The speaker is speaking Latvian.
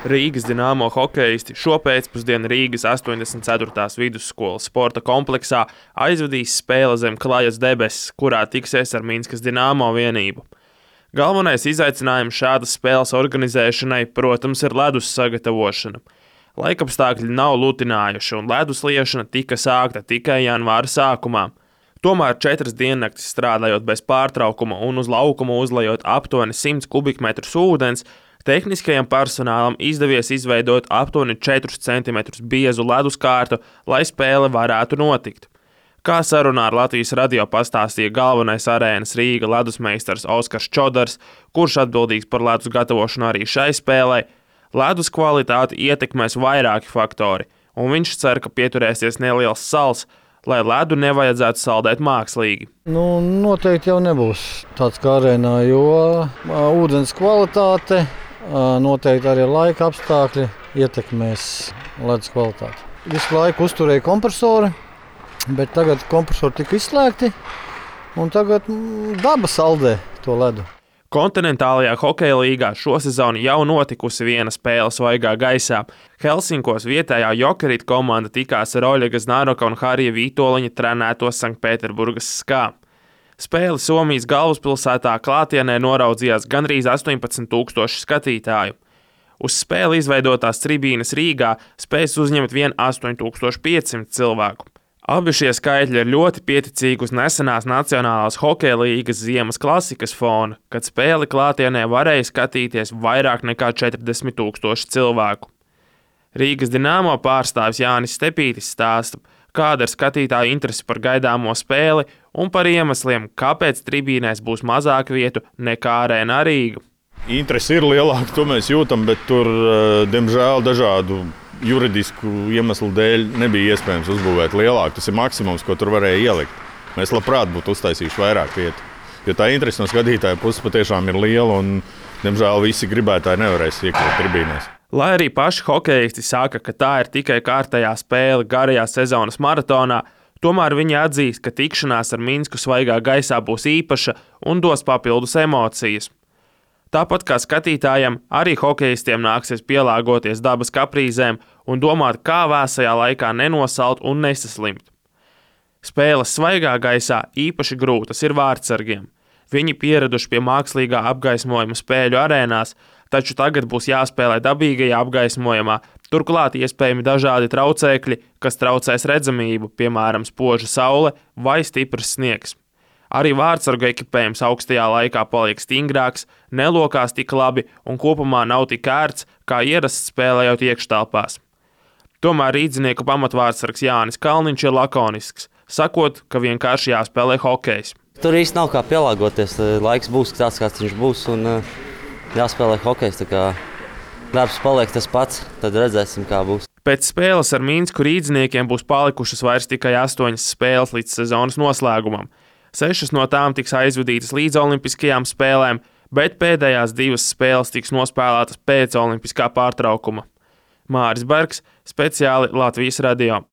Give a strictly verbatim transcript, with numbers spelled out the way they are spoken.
Rīgas Dinamo hokeisti šopēcpusdienu Rīgas astoņdesmit ceturtās vidusskolas sporta kompleksā aizvadīs spēli zem Klajas debesis, kurā tiksies ar Minskas Dinamo vienību. Galvenais izaicinājums šādas spēles organizēšanai, protams, ir ledus sagatavošana. Laikapstākļi nav lutinājuši un ledus liešana tika sākta tikai janvāra sākumā. Tomēr četras diennaktis strādājot bez pārtraukuma un uz laukuma uzlejot aptuveni simts kubikmetrus ūdens, tehniskajam personālam izdevies izveidot aptuveni četrus centimetrus biezu leduskārtu, lai spēle varētu notikt. Kā sarunā ar Latvijas radio pastāstīja galvenais arēnas Rīga ledusmeistars Oskars Čodars, kurš atbildīgs par ledus gatavošanu arī šai spēlei, ledus kvalitāti ietekmēs vairāki faktori, un viņš cer, ka pieturēsies neliels sals, lai ledu nevajadzētu saldēt mākslīgi. Nu, noteikti jau nebūs tāds kā arēnā, jo ūdens kvalitāte, noteikti arī laika apstākļi ietekmēs ledus kvalitāti. Visu laiku uzturēja kompresori, bet tagad kompresori tika izslēgti, un tagad daba saldē to ledu. Kontinentālajā hokeja līgā šosezon jau notikusi viena spēle svaigā gaisā. Helsinkos vietējā Jokerit komanda tikās ar Oļega Znaroka un Harija Vītoliņa trenēto Sanktpēterburgas Skā. Spēli Somijas galvaspilsētā klātienē noraudzījās gandrīz astoņpadsmit tūkstoši skatītāju. Uz spēli izveidotās tribīnes Rīgā spējas uzņemt vien astoņi tūkstoši piecsimt cilvēku. Abi šie skaitļi ir ļoti pieticīgi uz nesenās Nacionālās hokeja līgas ziemas klasikas fona, kad spēli klātienē varēja skatīties vairāk nekā četrdesmit tūkstoši cilvēku. Rīgas Dinamo pārstāvis Jānis Stepītis stāsta, kāda ir skatītāju interese par gaidāmo spēli un par iemesliem, kāpēc tribīnēs būs mazāk vietu nekā arēnā Rīga. Interese ir lielāka, to mēs jūtam, bet tur, diemžēl, dažādu juridisku iemeslu dēļ nebija iespējams uzbūvēt lielāku. Tas ir maksimums, ko tur varēja ielikt. Mēs labprāt būtu uztaisījuši vairāk vietu, jo tā interese no skatītāja puses patiešām ir liela un, diemžēl, visi gribētāji nevarēs iekļūt tribīnēs. Lai arī paši hokeisti saka, ka tā ir tikai kārtējā spēle garajā sezonas maratonā, tomēr viņi atzīst, ka tikšanās ar Minsku svaigā gaisā būs īpaša un dos papildus emocijas. Tāpat kā skatītājiem, arī hokeistiem nāksies pielāgoties dabas kaprīzēm un domāt, kā vēsajā laikā nenosalt un nesaslimt. Spēles svaigā gaisā īpaši grūtas ir vārdsargiem. Viņi pieraduši pie mākslīgā apgaismojuma spēļu arēnās, taču tagad būs jāspēlē dabīgajā apgaismojumā, turklāt iespējami dažādi traucēkļi, kas traucēs redzamību, piemēram, spoža saule vai stiprs sniegs. Arī vārdsargu ekipējums augstajā laikā paliek stingrāks, nelokās tik labi un kopumā nav tik ērts, kā ierasts spēlējot iekštelpās. Tomēr rīdzinieku pamatvārdsargs Jānis Kalniņš ir lakonisks, sakot, ka vienkārši jāspēlē hokejs. Tur īsti nav kā pielāgoties, laiks būs tāds, kāds viņš būs un jāspēlē hokejs, tā kā darbs paliek tas pats, tad redzēsim, kā būs. Pēc spēles ar Minsku rīdziniekiem būs palikušas vairs tikai astoņas spēles līdz sezonas noslēgumam. Sešas no tām tiks aizvadītas līdz olimpiskajām spēlēm, bet pēdējās divas spēles tiks nospēlētas pēc olimpiskā pārtraukuma. Māris Bergs, speciāli Latvijas radio.